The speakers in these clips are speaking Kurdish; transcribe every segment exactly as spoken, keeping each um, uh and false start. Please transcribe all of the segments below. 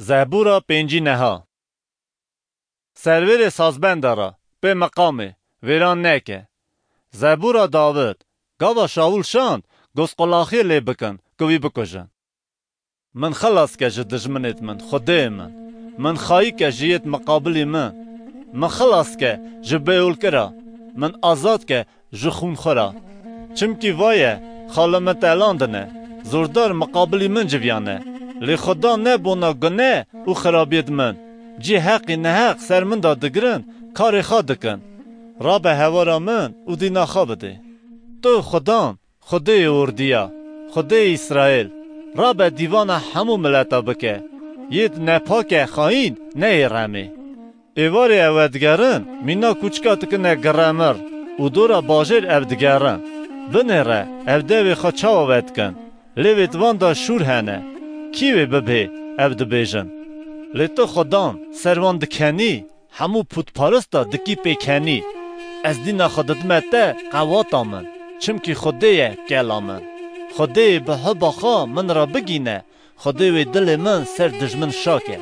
Zebûra pêncî neha. Servêrê sazbenda ra, pê meqamê, vêran neke. Zebûra Dawid, gava Şawul şand, gozqulaxiyê lê bikin, ku wî bikujin. Min xilas ke ji dijminêt min, Xwedê min. Min xayî ke ji yêt miqabilî min. Min xilas ke ji bêolkira. Min azad ke ji xûn xwe ra. Çimkî vaye, xalê min telandine, zordar miqabilî min civiyane. Lê Xudan ne bona gune û xirabiyêt min. Cî heqî neheq ser min de digirin, karê xwe dikin. Rabe hewara min û dîna xwe bidê. Tu Xudan, Xwedê yê ordiya, Xwedê yê Îsraîl, rabe dîvana hemû mileta bike. Yêt nepake xayîn neyê remê. Êvarê ew vedigerin, mîna kûçika dikine giremir û dora bajêr ev digerin. Binêre, ev devê xwe çawa vedikin? Lê vêt van de şûr hene. Kî wê bibê, ev dibêjin. Lê tu Xudan, ser van dikenî, hemû pûtparista dikî pêkenî. Ez dîna xwe didime te qewata min, çimkî Xwedê ye kela min. Xwedê bi hiba xwe min re bigîne, Xwedê wê dilê min ser dijmin şake.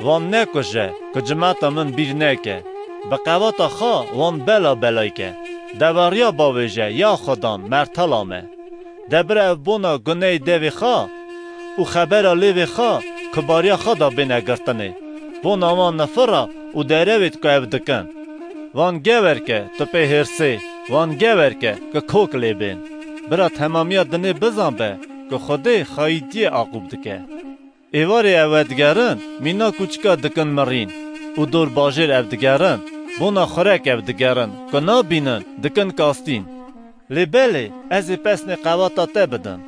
Wan nekuje, ku cimeta min bîr neke. Bi qewata xwe wan bela belay ke. Deveriya bavêje, ya Xudan, mertela me. De bira ev bona guneyê devê xwe û xebera lêvê xwe, kubariya xwe de bêne girtinê. Bona wan nifira û derewêt ku ev dikin. Wan gewer ke tu pê hêrsê, wan gewer ke ku kok lê bên. Bira temamiya dinê bizan be ku Xwedê xayîtiyê aqûb dike. Êvarê ew vedigerin, mîna kûçika dikin mirîn û dor bajêr ev digerin, bona xurek ev digerin, ku nabînin, dikin kastîn. Lê belê, ez ê pesnê qewata te bidim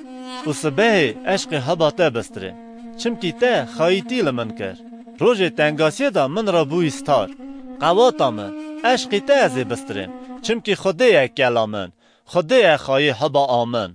û sibehê eşqê heba te bistirêm, çimkî te xayîtî li min kir. Rojê tengasiyê de min re bûyî star. Qewata min, eşqî te ez ê bistirêm, çimkî Xwedê ye kela min, Xwedê ye xayê heba a min.